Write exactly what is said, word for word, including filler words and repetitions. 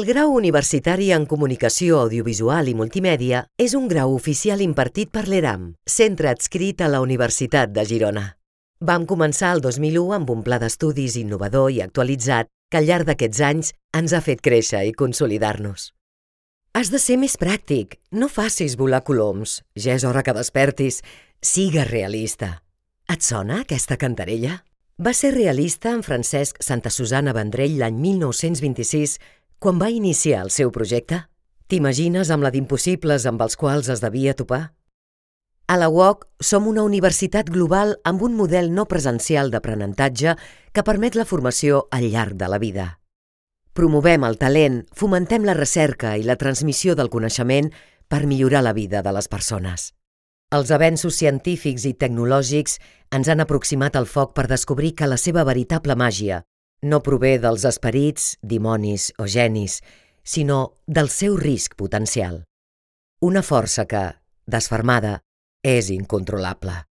El grau universitari en Comunicació Audiovisual i Multimèdia és un grau oficial impartit per l'ERAM, centre adscrit a la Universitat de Girona. Vam començar el dos mil u amb un pla d'estudis innovador i actualitzat que al llarg d'aquests anys ens ha fet créixer i consolidar-nos. Has de ser més pràctic, no facis volar coloms, ja és hora que despertis, sigues realista. Et sona aquesta cantarella? Va ser realista en Francesc Santasusana Vendrell l'any mil nou-cents vint-i-sis quan va iniciar el seu projecte? T'imagines amb la d'impossibles amb els quals es devia topar? A la U O C som una universitat global amb un model no presencial d'aprenentatge que permet la formació al llarg de la vida. Promovem el talent, fomentem la recerca i la transmissió del coneixement per millorar la vida de les persones. Els avenços científics i tecnològics ens han aproximat al foc per descobrir que la seva veritable màgia no prové dels esperits, dimonis o genis, sinó del seu risc potencial. Una força que, desfermada, és incontrolable.